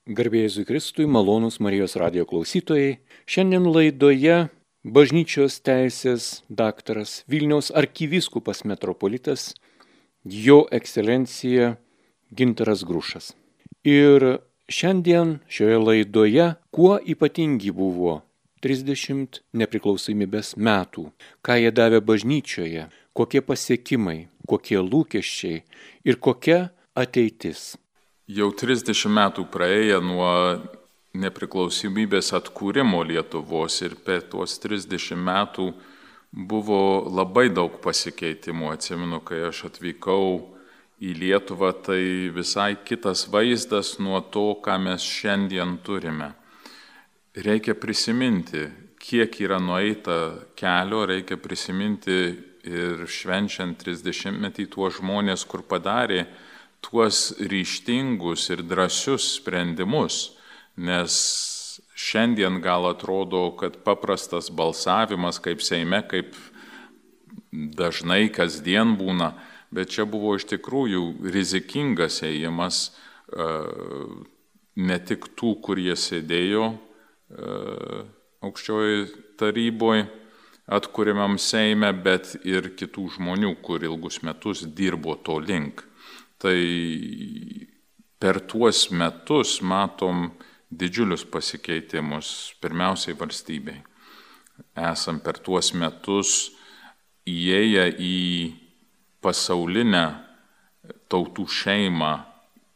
Garbė Jėzui Kristui, malonūs Marijos radijo klausytojai. Šiandien laidoje bažnyčios teisės daktaras Vilniaus arkivyskupas metropolitas Jo ekscelencija Gintaras Grušas. Ir šiandien šioje laidoje kuo ypatingi buvo 30 nepriklausomybės metų, ką jie davė bažnyčioje, kokie pasiekimai, kokie lūkesčiai ir kokia ateitis. Jau 30 metų praėję nuo nepriklausomybės atkūrimo Lietuvos ir per tuos 30 metų buvo labai daug pasikeitimų. Atsimenu, kai aš atvykau į Lietuvą, tai visai kitas vaizdas nuo to, ką mes šiandien turime. Reikia prisiminti, kiek yra nueita kelio, reikia prisiminti ir švenčiant 30-metį tuos žmonės, kur padarė tuos ryžtingus ir drąsius sprendimus, nes šiandien gal atrodo, kad paprastas balsavimas kaip Seime, kaip dažnai kasdien būna, bet čia buvo iš tikrųjų rizikingas ėjimas ne tik tų, kurie sėdėjo aukščioje taryboje atkuriamam Seime, bet ir kitų žmonių, kur ilgus metus dirbo to link. Tai per tuos metus matom didžiulius pasikeitimus, pirmiausiai valstybei. Esam per tuos metus įėję į pasaulinę tautų šeimą,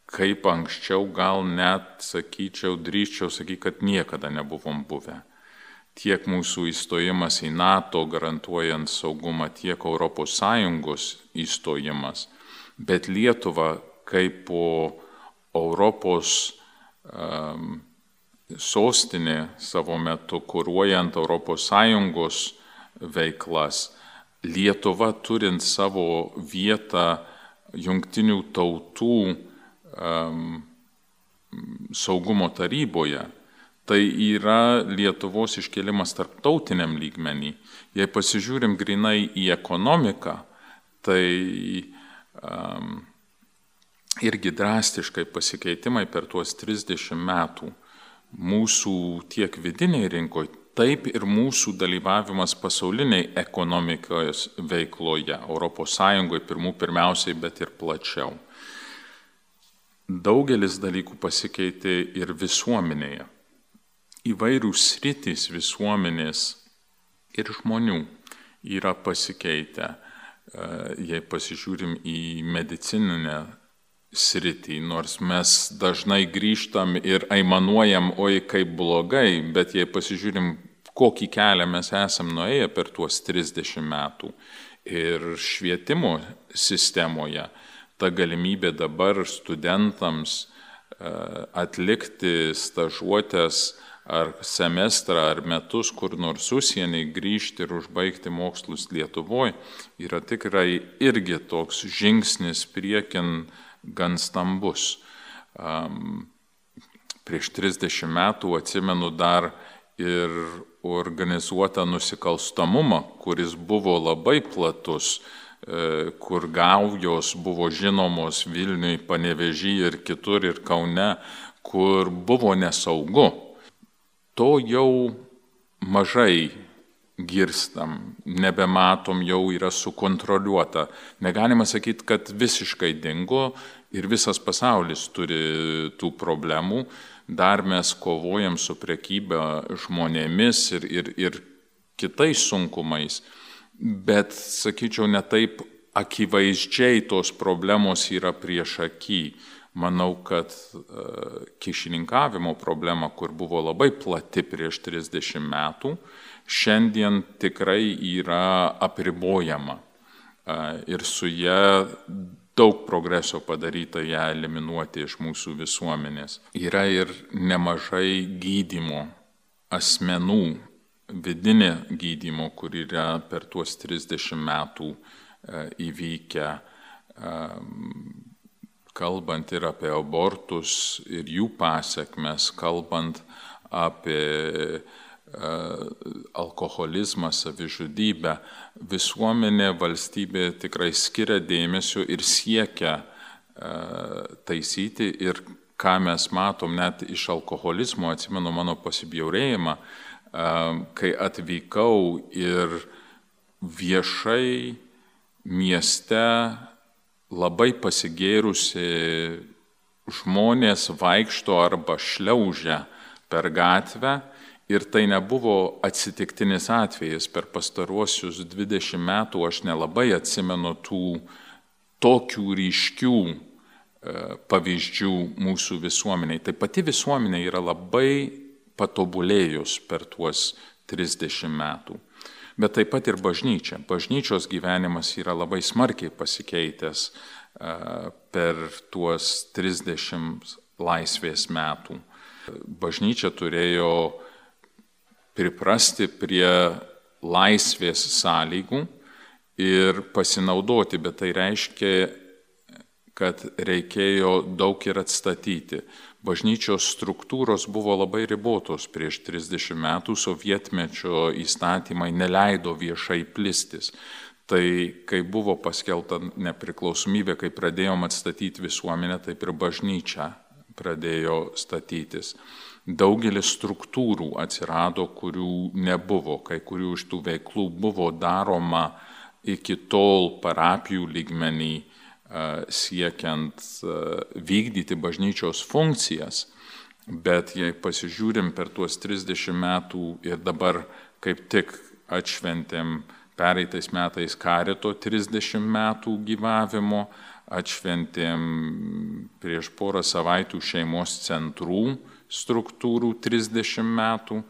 kaip anksčiau gal net, drįsčiau sakyti, kad niekada nebuvom buvę. Tiek mūsų įstojimas į NATO garantuojant saugumą, tiek ES įstojimas. Bet Lietuva kaip po Europos sostinė savo metu, kuruojant ES veiklas, Lietuva turint savo vietą Jungtinių tautų saugumo taryboje, tai yra Lietuvos iškėlimas tarptautiniam lygmenį. Jei pasižiūrim grinai į ekonomiką, tai irgi drastiškai pasikeitimai per tuos 30 metų. Mūsų tiek vidiniai rinkoje, taip ir mūsų dalyvavimas pasauliniai ekonomikos veikloje, ES pirmiausiai, bet ir plačiau. Daugelis dalykų pasikeitė ir visuomenėje. Įvairių sritys visuomenės ir žmonių yra pasikeitę. Jei pasižiūrim į medicininę sritį, nors mes dažnai grįžtam ir aimanuojam, oi kaip blogai, bet jei pasižiūrim, kokį kelią mes esam nuėję per tuos 30 metų ir švietimo sistemoje, ta galimybė dabar studentams atlikti stažuotes ar semestrą, ar metus, kur nors užsienį grįžti ir užbaigti mokslus Lietuvoje, yra tikrai irgi toks žingsnis priekin gan stambus. Prieš 30 metų atsimenu dar ir organizuotą nusikalstamumą, kuris buvo labai platus, kur gaujos buvo žinomos Vilniui, Panevėžyje ir kitur, ir Kaune, kur buvo nesaugu. To jau mažai girstam, nebematom, jau yra sukontroliuota. Negalima sakyti, kad visiškai dingo ir visas pasaulis turi tų problemų. Dar mes kovojam su prekyba žmonėmis ir kitais sunkumais. Bet, sakyčiau, ne taip akivaizdžiai tos problemos yra prieš akį. Manau, kad kyšininkavimo problema, kur buvo labai plati prieš 30 metų, šiandien tikrai yra apribojama. Ir su ją daug progreso padaryta ją eliminuoti iš mūsų visuomenės. Yra ir nemažai gydymo asmenų, vidinė gydymo, kur yra per tuos 30 metų įvykę, kalbant ir apie abortus ir jų pasekmes, kalbant apie alkoholizmą, savižudybę, visuomenė, valstybė tikrai skiria dėmesio ir siekia taisyti ir ką mes matom net iš alkoholizmo, atsimenu mano pasibjaurėjimą, kai atvykau ir viešai mieste labai pasigėrusi žmonės vaikšto arba šliaužia per gatvę ir tai nebuvo atsitiktinis atvejis. Per pastaruosius 20 metų aš nelabai atsimenu tų tokių ryškių pavyzdžių mūsų visuomeniai. Tai pati visuomenė yra labai patobulėjus per tuos 30 metų. Bet taip pat ir bažnyčia. Bažnyčios gyvenimas yra labai smarkiai pasikeitęs per tuos 30 laisvės metų. Bažnyčia turėjo priprasti prie laisvės sąlygų ir pasinaudoti, bet tai reiškia, kad reikėjo daug ir atstatyti. Bažnyčios struktūros buvo labai ribotos prieš 30 metų, sovietmečio įstatymai neleido viešai plistis. Tai kai buvo paskelbta nepriklausomybė, kai pradėjom atstatyti visuomenę, taip ir bažnyčia pradėjo statytis. Daugelis struktūrų atsirado, kurių nebuvo, kai kurių iš tų veiklų buvo daroma iki tol parapijų lygmenį, siekiant vykdyti bažnyčios funkcijas, bet jei pasižiūrim per tuos 30 metų ir dabar kaip tik atšventėm pereitais metais Karito 30 metų gyvavimo, atšventėm prieš porą savaitų šeimos centrų struktūrų 30 metų,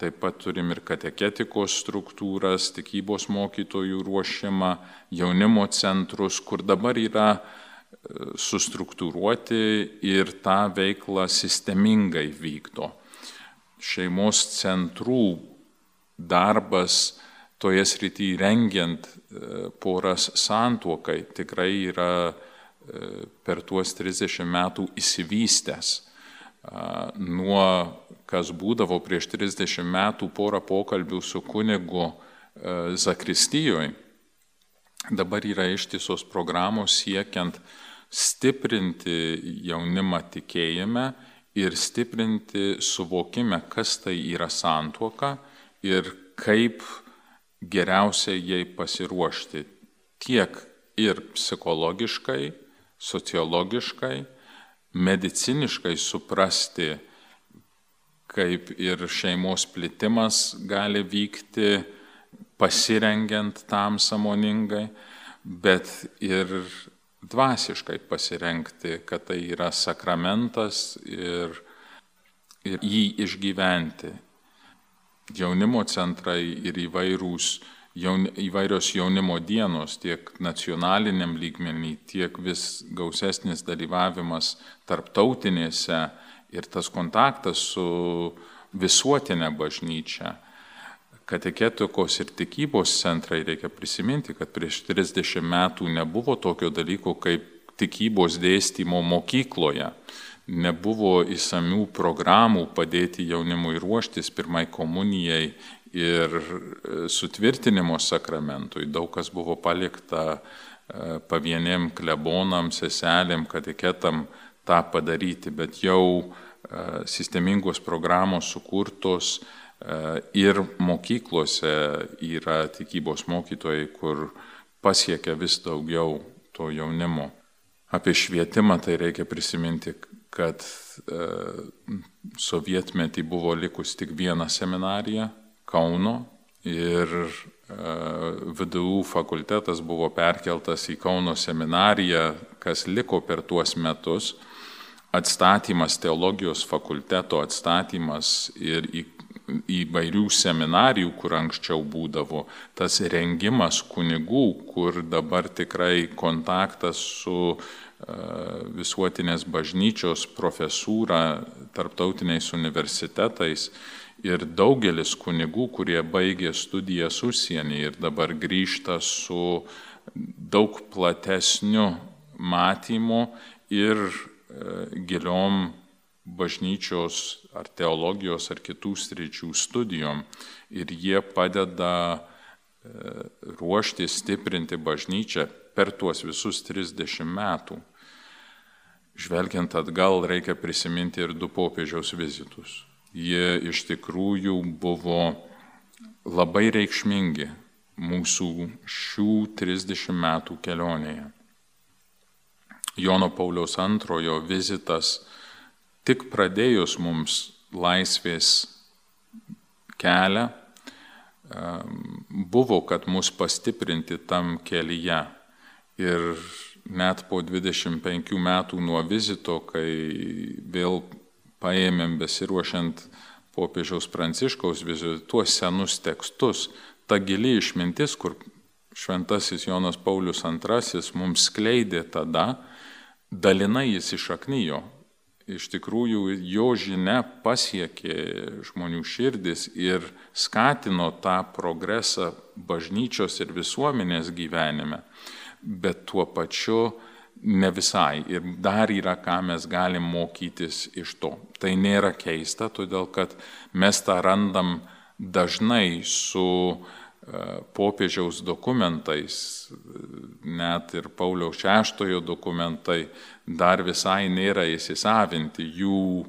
taip pat turim ir kateketikos struktūras, tikybos mokytojų ruošimą, jaunimo centrus, kur dabar yra sustruktūruoti ir tą veiklą sistemingai vykdo. Šeimos centrų darbas toje srityje rengiant poras santuokai tikrai yra per tuos 30 metų išsivystęs. Nuo kas būdavo prieš 30 metų porą pokalbių su kunigu zakristijoje, dabar yra ištisos programos siekiant stiprinti jaunimą tikėjime ir stiprinti suvokime, kas tai yra santuoka ir kaip geriausiai jai pasiruošti tiek ir psichologiškai, sociologiškai, mediciniškai suprasti, kaip ir šeimos plitimas gali vykti, pasirengiant tam sąmoningai, bet ir dvasiškai pasirengti, kad tai yra sakramentas ir jį išgyventi. Jaunimo centrai ir įvairios jaunimo dienos, tiek nacionaliniam lygmenį, tiek vis gausesnis dalyvavimas tarptautinėse ir tas kontaktas su visuotinė bažnyčia. Kateketikos ir tikybos centrai, reikia prisiminti, kad prieš 30 metų nebuvo tokio dalyko kaip tikybos dėstymo mokykloje. Nebuvo įsamių programų padėti jaunimui ruoštis pirmai komunijai ir sutvirtinimo sakramentui. Daug kas buvo palikta pavieniem klebonam, seselėm, kateketam tą padaryti, bet jau sistemingos programos sukurtos ir mokyklose yra tikybos mokytojai, kur pasiekia vis daugiau to jaunimo. Apie švietimą tai reikia prisiminti, kad sovietmetį buvo likus tik viena seminarija Kauno ir VDU fakultetas buvo perkeltas į Kauno seminariją, kas liko per tuos metus. Atstatymas, teologijos fakulteto atstatymas ir įvairių seminarijų, kur anksčiau būdavo, tas rengimas kunigų, kur dabar tikrai kontaktas su visuotinės bažnyčios profesūra, tarptautiniais universitetais ir daugelis kunigų, kurie baigė studijas užsienį ir dabar grįžta su daug platesniu matymu ir giliom bažnyčios ar teologijos ar kitų sričių studijom ir jie padeda ruošti, stiprinti bažnyčią per tuos visus 30 metų. žvelgiant atgal, reikia prisiminti ir 2 popiežiaus vizitus. Jie iš tikrųjų buvo labai reikšmingi mūsų šių 30 metų kelionėje. Jono Pauliaus II vizitas tik pradėjus mums laisvės kelią, buvo, kad mus pastiprinti tam kelyje. Ir net po 25 metų nuo vizito, kai vėl paėmėm besiruošiant popiežiaus Pranciškaus vizitui tuos senus tekstus, ta gili išmintis, kur šventasis Jonas Paulius II mums skleidė tada, dalinai jis išaknijo. Iš tikrųjų, jo žinia pasiekė žmonių širdis ir skatino tą progresą bažnyčios ir visuomenės gyvenime, bet tuo pačiu ne visai. Ir dar yra, ką mes galim mokytis iš to. Tai nėra keista, todėl kad mes tą randam dažnai su popiežiaus dokumentais, net ir Pauliaus VI dokumentai dar visai nėra įsisavinti, jų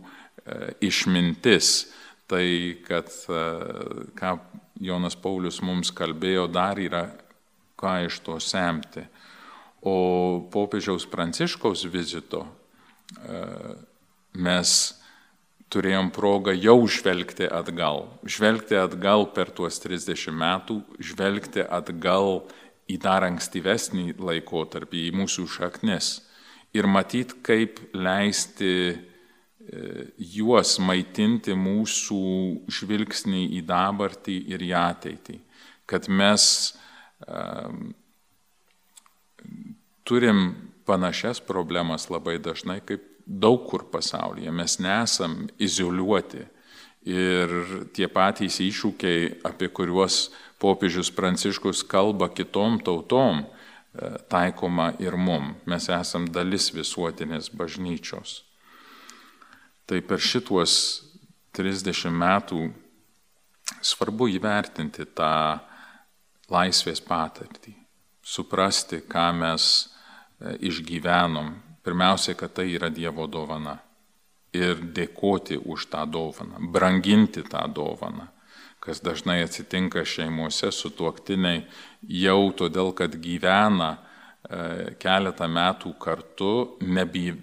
išmintis. Tai, kad ką Jonas Paulius mums kalbėjo, dar yra ką iš to semti. O popiežiaus Pranciškaus vizito mes turėjom progą jau žvelgti atgal per tuos 30 metų, žvelgti atgal į dar ankstyvesnį laikotarpį, į mūsų šaknis ir matyti, kaip leisti juos maitinti mūsų žvilgsnį į dabartį ir į ateitį. Kad mes turim panašias problemas labai dažnai kaip daug kur pasaulyje. Mes nesam izoliuoti ir tie patys iššūkiai, apie kuriuos popiežius Pranciškus kalba kitom tautom, taikoma ir mum. Mes esam dalis visuotinės bažnyčios. Tai per šituos 30 metų svarbu įvertinti tą laisvės patirtį, suprasti, ką mes išgyvenom. Pirmiausia, kad tai yra Dievo dovana ir dėkoti už tą dovaną, branginti tą dovaną, kas dažnai atsitinka šeimose, sutuoktiniai jau todėl, kad gyvena keletą metų kartu,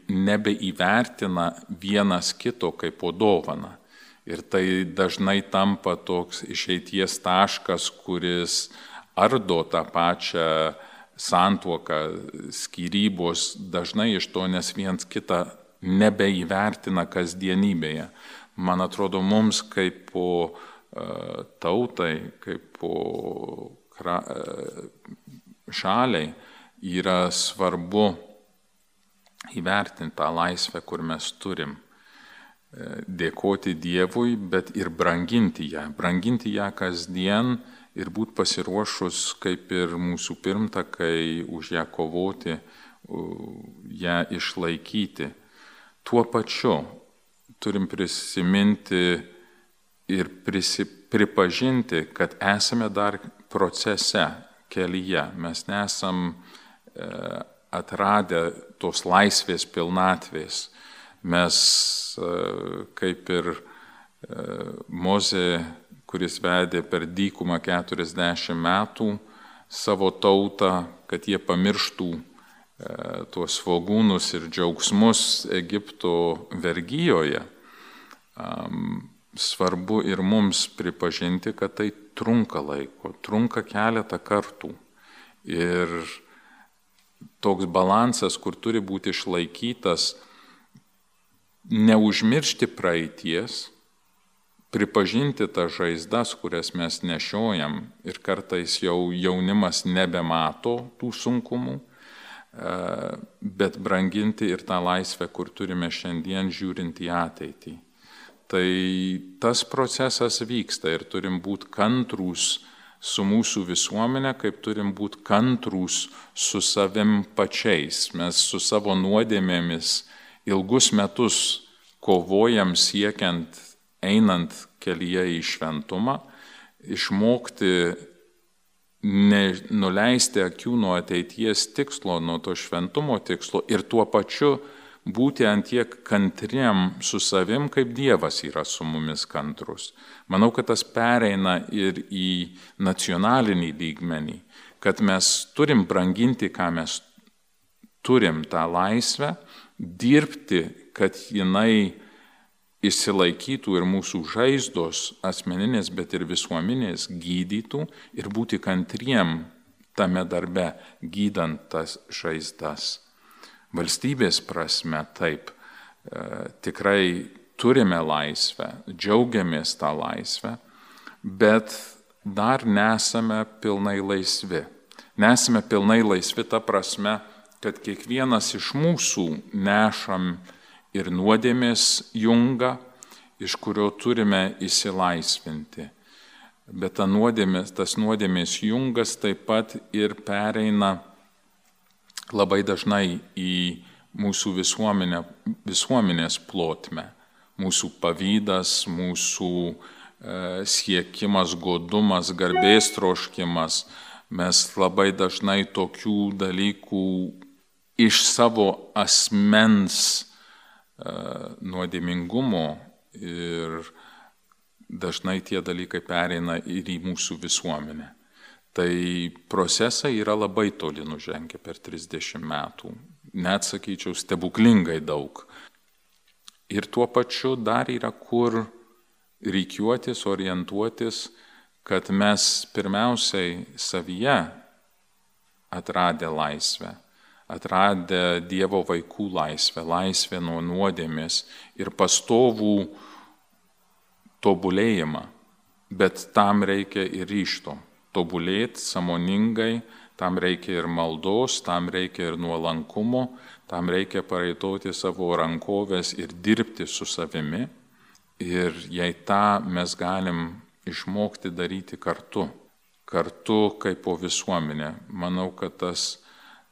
nebeįvertina vienas kito kaip po dovaną. Ir tai dažnai tampa toks išeities taškas, kuris ardo tą pačią santuoką, skyrybos dažnai iš to, nes viens kitą nebeįvertina kasdienybėje. Man atrodo, mums kaip po tautai, kaip po šaliai yra svarbu įvertinti tą laisvę, kur mes turim. Dėkoti Dievui, bet ir branginti ją kasdien, ir būti pasiruošus, kaip ir mūsų pirmtakai, už ją kovoti, ją išlaikyti. Tuo pačiu turim prisiminti ir pripažinti, kad esame dar procese, kelyje. Mes nesam atradę tos laisvės pilnatvės. Mes, kaip ir Mozė, kuris vedė per dykumą 40 metų savo tautą, kad jie pamirštų tuos svogūnus ir džiaugsmus Egipto vergijoje. Svarbu ir mums pripažinti, kad tai trunka laiko, trunka keletą kartų. Ir toks balansas, kur turi būti išlaikytas, neužmiršti praeities, pripažinti tas žaizdas, kurias mes nešiojam ir kartais jau jaunimas nebemato tų sunkumų, bet branginti ir tą laisvę, kur turime šiandien žiūrint į ateitį. Tai tas procesas vyksta ir turim būti kantrūs su mūsų visuomenė, kaip turim būti kantrūs su savim pačiais. Mes su savo nuodėmėmis ilgus metus kovojam siekiant, einant kelyje į šventumą, išmokti nuleisti akių nuo ateities tikslo, nuo to šventumo tikslo ir tuo pačiu būti antiek kantriem su savim, kaip Dievas yra su mumis kantrus. Manau, kad tas pereina ir į nacionalinį lygmenį, kad mes turim branginti, ką mes turim, tą laisvę, dirbti, kad jinai išsilaikytų ir mūsų žaizdos asmeninės, bet ir visuomenės gydytų ir būti kantriem tame darbe, gydant tas žaizdas. Valstybės prasme taip, tikrai turime laisvę, džiaugiamės tą laisvę, bet dar nesame pilnai laisvi. Nesame pilnai laisvi ta prasme, kad kiekvienas iš mūsų nešam ir nuodėmės jungą, iš kurio turime išsilaisvinti. Bet tas nuodėmės jungas taip pat ir pereina labai dažnai į mūsų visuomenės plotmę. Mūsų pavydas, mūsų siekimas, godumas, garbės troškimas. Mes labai dažnai tokių dalykų iš savo asmens nuodėmingumo ir dažnai tie dalykai pereina ir į mūsų visuomenę. Tai procesai yra labai toli nužengę per 30 metų, net sakyčiau stebuklingai daug. Ir tuo pačiu dar yra kur rikiuotis, orientuotis, kad mes pirmiausiai savyje atradę laisvę, atradę Dievo vaikų laisvę, laisvę nuo nuodėmės ir pastovų tobulėjimą, bet tam reikia ir ryžto. Tobulėti sąmoningai, tam reikia ir maldos, tam reikia ir nuolankumo, tam reikia pareitoti savo rankovės ir dirbti su savimi. Ir jei tą mes galim išmokti daryti kartu kaip po visuomenė, manau, kad tas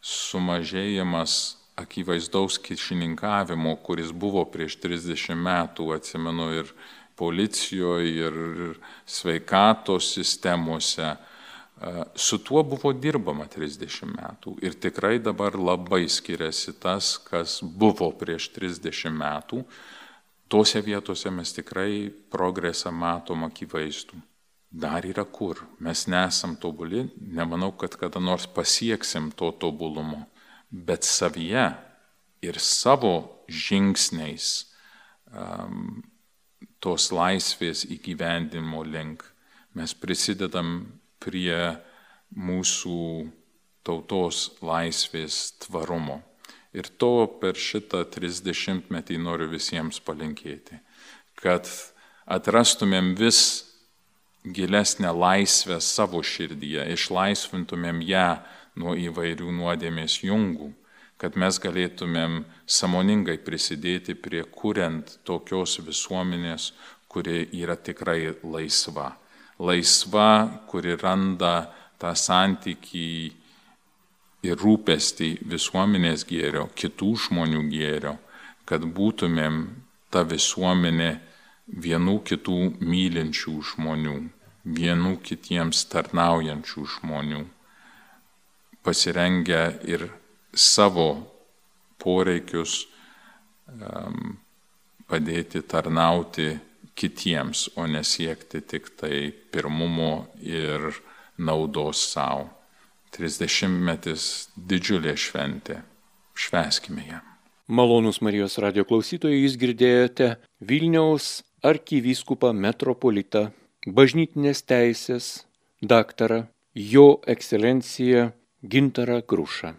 sumažėjimas akivaizdaus kyšininkavimo, kuris buvo prieš 30 metų, atsimenu, ir policijoje, ir sveikatos sistemose, su tuo buvo dirbama 30 metų. Ir tikrai dabar labai skiriasi tas, kas buvo prieš 30 metų. Tose vietose mes tikrai progresą matom akivaizdų. Dar yra kur. Mes nesam tobuli, nemanau, kad kada nors pasieksim to tobulumo, bet savyje ir savo žingsniais tos laisvės įgyvendinimo link mes prisidedam prie mūsų tautos laisvės tvarumo. Ir to per šitą 30-metį noriu visiems palinkėti, kad atrastumėm vis gilesnę laisvę savo širdyje, išlaisvintumėm ją nuo įvairių nuodėmės jungų, kad mes galėtumėm sąmoningai prisidėti prie kuriant tokios visuomenės, kuri yra tikrai laisva. Laisva, kuri randa tą santykį ir rūpestį visuomenės gėrio, kitų žmonių gėrio, kad būtumėm ta visuomenė vienų kitų mylinčių žmonių, vienų kitiems tarnaujančių žmonių, pasirengę ir savo poreikius padėti tarnauti kitiems, o nesiekti tik tai pirmumo ir naudos savo. 30-metis didžiulė šventė. Švęskime ją. Malonūs Marijos radijo klausytojai, jūs girdėjote Vilniaus arkivyskupą metropolitą, bažnytinės teisės daktarą, jo ekscelenciją Gintarą Grušą.